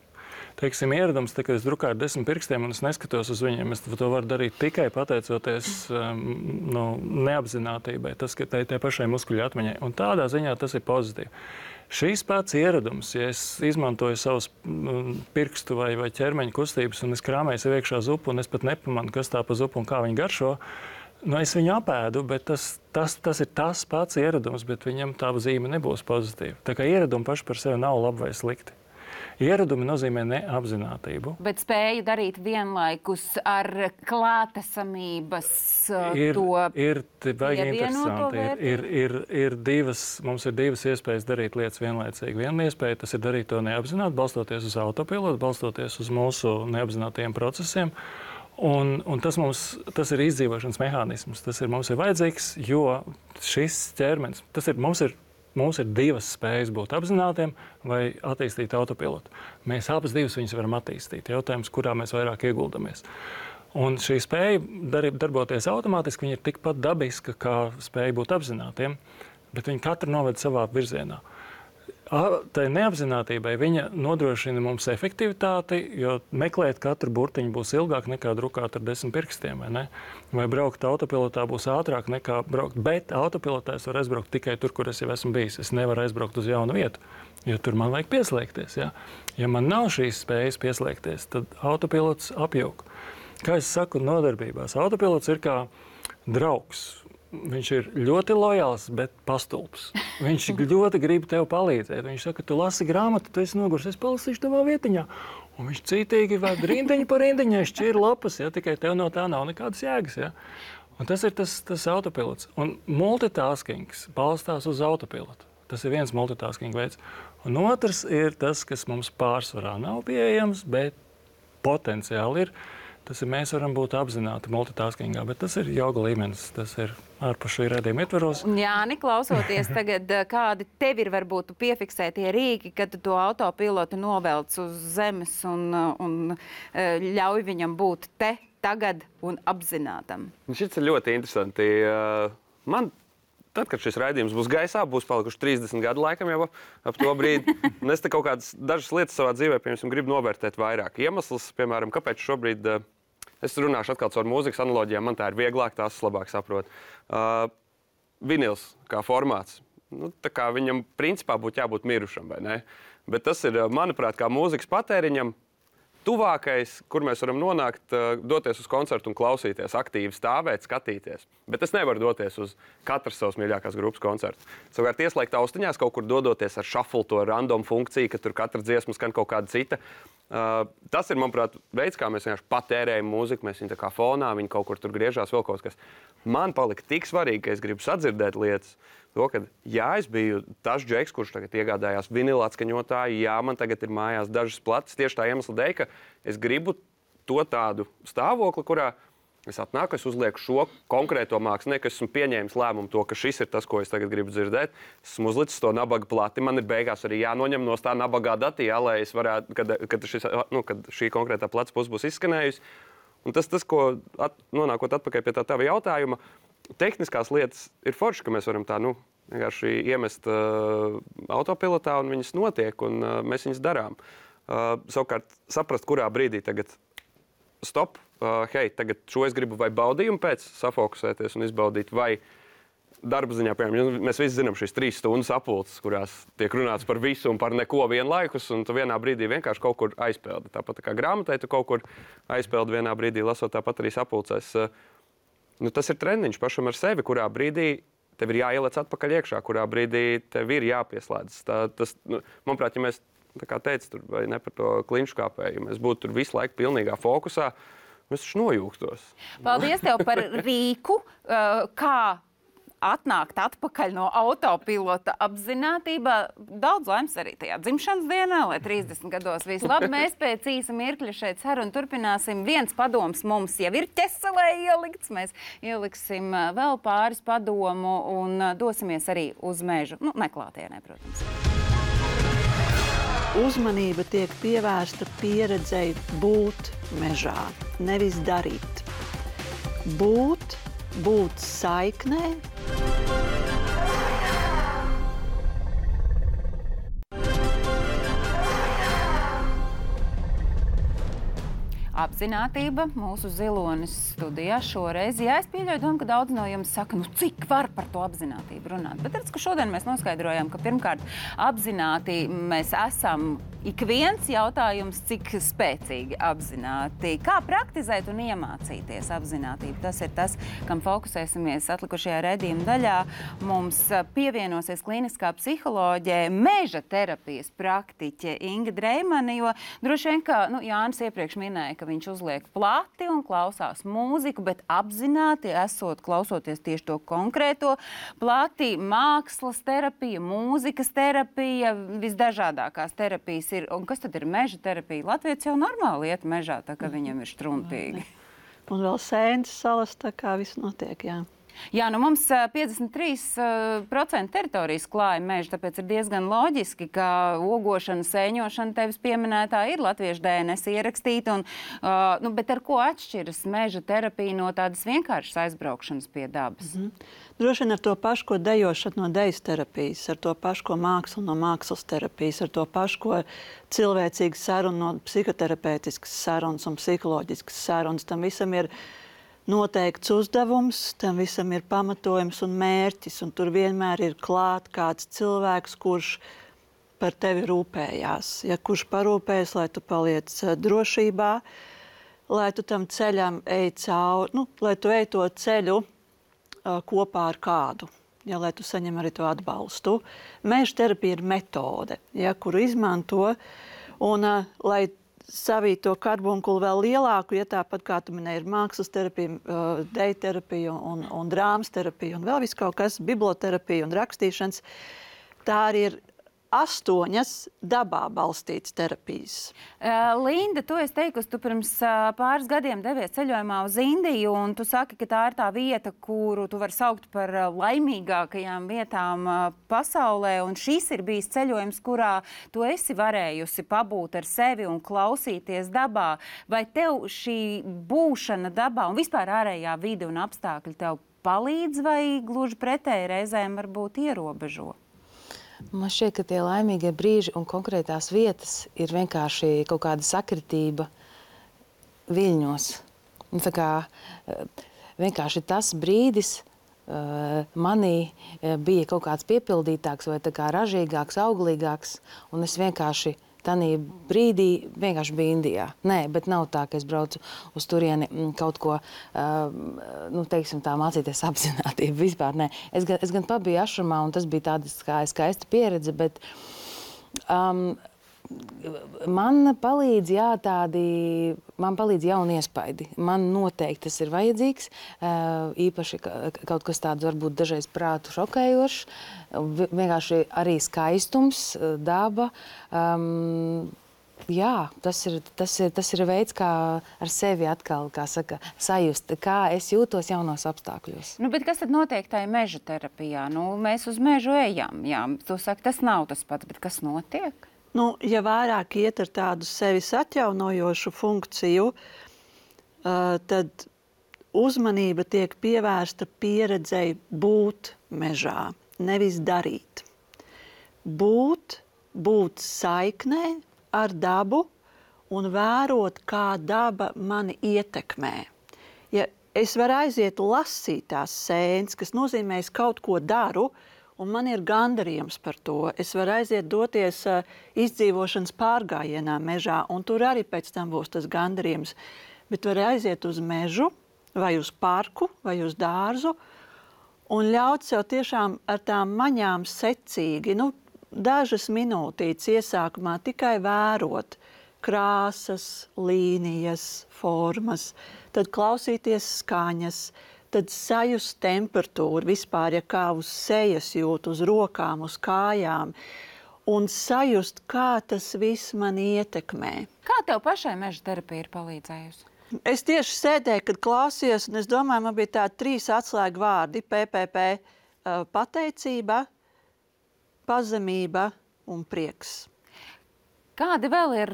Teiksim, ieradums, tā, kad es drukāju ar 10 pirkstiem un es neskatos uz viņiem, es to varu darīt tikai pateicoties neapzinātībai, tas, ka tai pašai muskuļu atmiņai. Un tādā ziņā tas ir pozitīvi. Šīs pats ieradums, ja es izmantoju savus pirkstu vai ķermeņa kustības un es krāmēju sev iekšā zupu un es pat nepamanu, kas tā pa zupu un kā viņa garšo, es viņu apēdu, bet tas ir tas pats ieradums, bet viņam tā zīme nebūs pozitīva. Tā kā ieradumi paši par sevi nav labi vai slikti. Ieradumi nozīmē neapzinātību. Bet spēju darīt vienlaikus ar klātesamības Ir baigi interesanti. Mums ir divas iespējas darīt lietas vienlaicīgi. Viena iespēja tas ir darīt to neapzināti, balstoties uz autopilotu, balstoties uz mūsu neapzinātajiem procesiem. Un tas ir izdzīvošanas mehānisms. Tas mums ir vajadzīgs, jo šis ķermenis, mums ir divas spējas būt apzinātiem vai attīstīt autopilotu. Mēs abas divas viņas varam attīstīt. Jautājums, kurā mēs vairāk ieguldamies. Un šī spēja darboties automātiski, viņa ir tikpat dabiska, kā spēja būt apzinātiem, bet viņi katru noved savā virzienā. Tai neapzinātībai viņa nodrošina mums efektivitāti, jo meklēt katru burtiņu būs ilgāk nekā drukāt ar 10 pirkstiem, vai ne? Vai braukt autopilotā būs ātrāk nekā braukt, bet autopilotā es varu aizbraukt tikai tur, kur es jau esmu bijis. Es nevaru aizbraukt uz jaunu vietu, jo tur man vajag pieslēgties. Ja, ja man nav šīs spējas pieslēgties, tad autopilots apjūk. Kā es saku nodarbībās, autopilots ir kā draugs. Viņš ir ļoti lojāls, bet pastulbs. Viņš ļoti grib tev palīdzēt. Viņš saka, tu lasi grāmatu, tu esi nogurs, es palasīšu tavā vietiņā. Un viņš cītīgi vēd rindiņu par rindiņai, šķir lapas, ja, tikai tev no tā nav nekādas jēgas. Ja. Un tas ir tas autopilots. Un multitaskings balstās uz autopilotu. Tas ir viens multitasking veids. Un otrs ir tas, kas mums pārsvarā nav pieejams, bet potenciāli ir. Tas ir, mēs varam būt apzināti multitaskingā, bet tas ir joga līmenis, tas ir ārpus šī redzījuma ietvaros. Jāni, klausoties tagad, kādi tev ir varbūt piefiksētie rīki, kad tu to autopilotu novelc uz zemes un ļauj viņam būt te, tagad un apzinātam? Šis ir ļoti interesanti. Tad, kad šis raidījums būs gaisā, būs palikuši 30 gadu laikam jau ap to brīdi. Un es te kaut kādas dažas lietas savā dzīvē, piemēram, gribu novērtēt vairāk. Iemesls, piemēram, kāpēc šobrīd, es runāšu atkal caur mūzikas analoģijām, man tā ir vieglāk, tās labāk saprot. Vinils kā formāts, tā kā viņam principā būtu jābūt mirušam, vai ne? Bet tas ir, manuprāt, kā mūzikas patēriņam, tuvākais, kur mēs varam nonākt, doties uz koncertu un klausīties, aktīvi stāvēt, skatīties. Bet es nevaru doties uz katras savas mīļākās grupas koncertu. Savukārt ieslēgt austiņās, kaut kur dodoties ar shuffle, to random funkciju, ka tur katra dziesma skan kaut kāda cita. Tas ir, manuprāt, veids, kā mēs vienkārši patērējam mūziku, mēs viņu tā kā fonā, viņi kaut kur tur griežās vēl kaut kas. Man palika tik svarīgi, ka es gribu sadzirdēt lietas, to, ka jā, es biju tas džeks, kurš tagad iegādājās vinila atskaņotāju, jā, man tagad ir mājās dažas plates, tieši tā iemesla dēļ, ka es gribu to tādu stāvokli, kurā es atnāku, es uzlieku šo konkrēto mākslinieku, es esmu pieņēmis lēmumu to, ka šis ir tas, ko es tagad gribu dzirdēt. Esmu uzlicis to nabaga plati, man ir beigās arī jānoņem no tā nabagā dati, jā, lai es varētu, kad šī konkrētā plats puse būs izskanējusi. Un tas, ko nonākot atpakaļ pie tā tava jautājuma, tehniskās lietas ir forši, ka mēs varam tā, vienkārši iemest autopilotā un viņas notiek, un mēs viņas darām. Savukārt saprast, kurā brīdī tagad stop, hei, tagad šo es gribu vai baudījumu pēc safokusēties un izbaudīt, vai darba ziņā, piemēram, mēs visi zinām šīs 3 stundas apulces, kurās tiek runāts par visu un par neko vienlaikus, un tu vienā brīdī vienkārši kaut kur aizpeldi. Tāpat kā grāmatai tu kaut kur aizpeldi vienā brīdī, lasot tāpat arī sapulcēs. Tas ir treniņš pašam ar sevi, kurā brīdī tev ir jāielec atpakaļ iekšā, kurā brīdī tev ir jāpieslēdzas. Manuprāt, ja mēs tā kā teica, tur, vai ne par to klinšu kāpēju, ja mēs būtu tur visu laiku pilnīgā fokusā, mēs taču nojūgtos. Paldies tev par rīku, kā atnākt atpakaļ no autopilota apzinātībā. Daudz laimes arī tajā dzimšanas dienā, lai 30 gados viss labi. Mēs pēc īsa mirkļa šeit sarunu turpināsim. Viens padoms mums jau ir ķeselē ielikts. Mēs ieliksim vēl pāris padomu un dosimies arī uz mežu. Nu, neklātienē, protams. Uzmanība tiek pievērsta pieredzei būt mežā, nevis darīt. Būt saiknē. Apzinātība mūsu zilonis studijā šoreiz. Jā, es pieļauju domu, ka daudz no jums saka, nu cik var par to apzinātību runāt. Bet redz, ka šodien mēs noskaidrojām, ka pirmkārt apzināti mēs esam ik viens jautājums, cik spēcīgi apzināti. Kā praktizēt un iemācīties apzinātību? Tas ir tas, kam fokusēsimies atlikušajā redzījuma daļā. Mums pievienosies kliniskā psiholoģē, meža terapijas praktiķe Inga Dreimane, jo droši vien, ka Jānis iepriekš minēja, ka viņš uzliek plati un klausās mūziku, bet apzināti esot klausoties tieši to konkrēto plati, mākslas terapija, mūzikas terapija, visdažādākās terapijas ir. Un kas tad ir meža terapija? Latvijas jau normāli iet mežā, tā kā viņam ir struntīgi. Un vēl sēnes salas, tā kā viss notiek, jā. Jā, nu mums 53% teritorijas klāja meža, tāpēc ir diezgan loģiski, ka ogošana, sēņošana tevis pieminētā ir latviešu DNS ierakstīta. Bet ar ko atšķiras meža terapija no tādas vienkāršas aizbraukšanas pie dabas? Droši vien ar to pašu, ko dejošana no dejas terapijas, ar to pašu, ko māksla no mākslas terapijas, ar to pašu, ko cilvēcīga saruna no psihoterapeiskas sarunas un psiholoģiskas sarunas. Tam visam ir noteikts uzdevums, tam visam ir pamatojums un mērķis, un tur vienmēr ir klāt kāds cilvēks, kurš par tevi rūpējās. Ja, kurš parūpējas, lai tu paliec drošībā, lai tu tam ceļam ej cauri, lai tu ej to ceļu kopā ar kādu, ja, lai tu saņem arī to atbalstu. Meža terapija ir metode, ja, kuru izmanto, un lai savīt to karbunkulu vēl lielāku, ja tāpat kā tu minēji, ir mākslas terapija, deja terapija un drāmas terapija un vēl viss kaut kas, biblioterapija un rakstīšanas. Tā arī ir 8 dabā balstītas terapijas. Linda, tu esi teikusi, tu pirms pāris gadiem devies ceļojumā uz Indiju, un tu saki, ka tā ir tā vieta, kuru tu vari saukt par laimīgākajām vietām pasaulē, un šis ir bijis ceļojums, kurā tu esi varējusi pabūt ar sevi un klausīties dabā. Vai tev šī būšana dabā un vispār ārējā vide un apstākļi tev palīdz, vai gluži pretēji reizēm varbūt ierobežo? Man šķiet, ka tie laimīgie brīži un konkrētās vietas ir vienkārši kaut kāda sakritība viļņos. Tā kā vienkārši tas brīdis manī bija kaut kāds piepildītāks vai tā kā ražīgāks, auglīgāks, un es vienkārši tanī brīdī vienkārši biju Indijā. Nē, bet nav tā, ka es braucu uz turieni kaut ko, teiksim tā, mācīties apzinātību. Vispār nē. Es gan pabiju ašramā, un tas bija tāda skaista pieredze, bet man palīdz, man palīdz jauni iespaidi. Man noteikti tas ir vajadzīgs, īpaši kaut kas tāds varbūt dažreiz prātu šokējošs, vienkārši arī skaistums, daba. Jā, tas ir veids, kā ar sevi atkal, kā saka, sajust, kā es jūtos jaunos apstākļos. Bet kas tad notiek tajā meža terapijā? Mēs uz mežu ejam, jā. Tu saki, tas nav tas pats, bet kas notiek? Ja vairāk iet ar tādu sevis atjaunojošu funkciju, tad uzmanība tiek pievērsta pieredzei būt mežā, nevis darīt. Būt saiknē ar dabu un vērot, kā daba mani ietekmē. Ja es varu aiziet lasīt tās sēnes, kas nozīmē, es kaut ko daru, un man ir gandarījums par to. Es varu aiziet doties izdzīvošanas pārgājienā mežā, un tur arī pēc tam būs tas gandarījums. Bet varu aiziet uz mežu, vai uz parku, vai uz dārzu, un ļaut sev tiešām ar tām maņām secīgi, dažas minūtītes iesākumā tikai vērot krāsas, līnijas, formas, tad klausīties skaņas, tad sajust temperatūru vispār, ja kā uz sejas jūt, uz rokām, uz kājām, un sajust, kā tas viss man ietekmē. Kā tev pašai meža terapija ir palīdzējusi? Es tieši sēdēju, kad klausījos, un es domāju, man bija tādi 3 atslēgu vārdi - PPP, pateicība, pazemība un prieks. Kādi vēl ir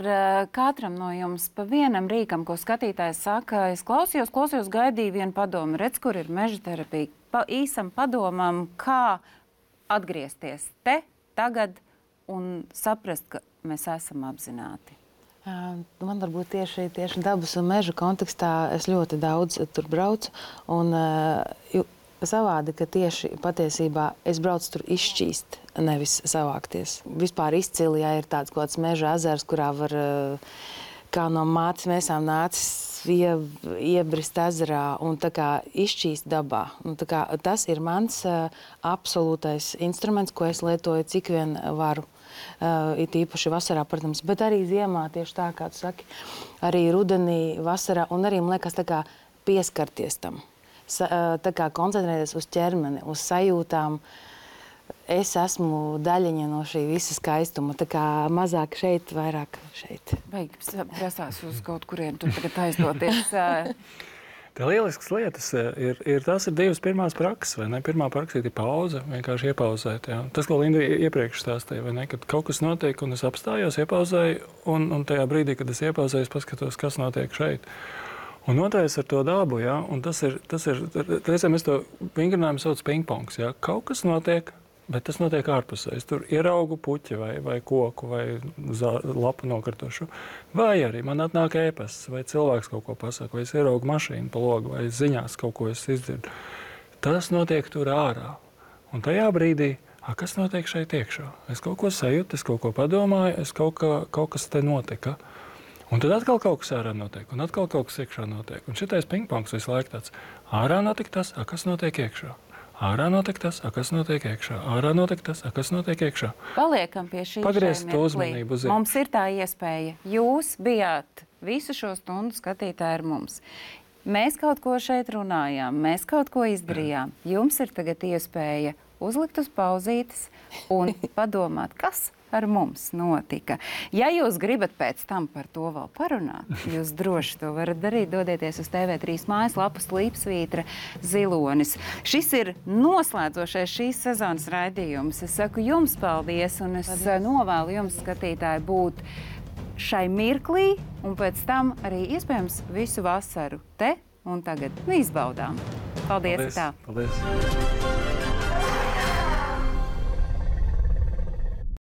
katram no jums pa vienam rīkam, ko skatītājs saka? Es klausījos, gaidīju vienu padomu. Redz, kur ir meža terapija. Pa īsam padomam, kā atgriezties te, tagad un saprast, ka mēs esam apzināti. Man varbūt tieši dabas un meža kontekstā es ļoti daudz tur braucu. Un savādi, ka tieši patiesībā es braucu tur izšķīst, nevis savākties. Vispār izcili, ja ir tāds kaut kāds meža ezers, kurā var kā no mātes mēsām nācis iebrist ezerā un tā kā izšķīst dabā. Un tā kā tas ir mans absolūtais instruments, ko es lietoju cik vien varu. It īpaši vasarā, protams, bet arī ziemā, tieši tā, kā tu saki, arī rudenī, vasarā, un arī, man liekas, tā kā pieskarties tam. Tā kā koncentrēties uz ķermeni, uz sajūtām. Es esmu daļiņa no šī visa skaistuma, tā kā mazāk šeit, vairāk šeit. Beigas prasās uz kaut kuriem tur tagad aizdoties. Tā lieliskas lietas tās ir 2 pirmās prakses, vai ne? Pirmā praksa ir pauze, vienkārši iepauzēt. Jā. Tas, ko Linda iepriekš stāstīja, vai ne? Kad kaut kas notiek un es apstājos, iepauzēju, un tajā brīdī, kad es iepauzēju, es paskatos, kas notiek šeit. Un otrais ar to dabu, jā, un tas ir reizēm es to vingrinājumu sauc pingpongs, jā. Kaut kas notiek, bet tas notiek ārpusē. Es tur ieraugu puķi vai koku vai lapu nokritušu. Vai arī man atnāk ēpasts, vai cilvēks kaut ko pasaka, vai es ieraugu mašīnu pa logu, vai ziņās kaut ko es izdzirdu. Tas notiek tur ārā. Un tajā brīdī, kas notiek šeit iekšā? Es kaut ko sajūtu, es kaut ko padomāju, kaut kas te notika. Un tad atkal kaut kas ārā notiek, un atkal kaut kas iekšā notiek. Un šitais pingpongs visu laiku tāds. Ārā notiek tas, kas notiek iekšā. Ārā notiek tas, kas notiek iekšā. Ārā notiek tas, kas notiek iekšā. Paliekam pie šī. Pagriezt to uzmanību uz iekšā. Mums ir tā iespēja. Jūs bijāt visu šo stundu skatītāji ar mums. Mēs kaut ko šeit runājām, mēs kaut ko izdarījām. Jums ir tagad iespēja uzlikt uz pauzītes un padomāt, kas ar mums notika. Ja jūs gribat pēc tam par to vēl parunāt, jūs droši to varat darīt. Dodieties uz TV3 mājaslapu Slīpsvītra Zilonis. Šis ir noslēdzošais šīs sezonas raidījums. Es saku jums paldies, un es novēlu jums, skatītāji, būt šai mirklī, un pēc tam arī iespējams visu vasaru te un tagad izbaudām. Paldies! Paldies.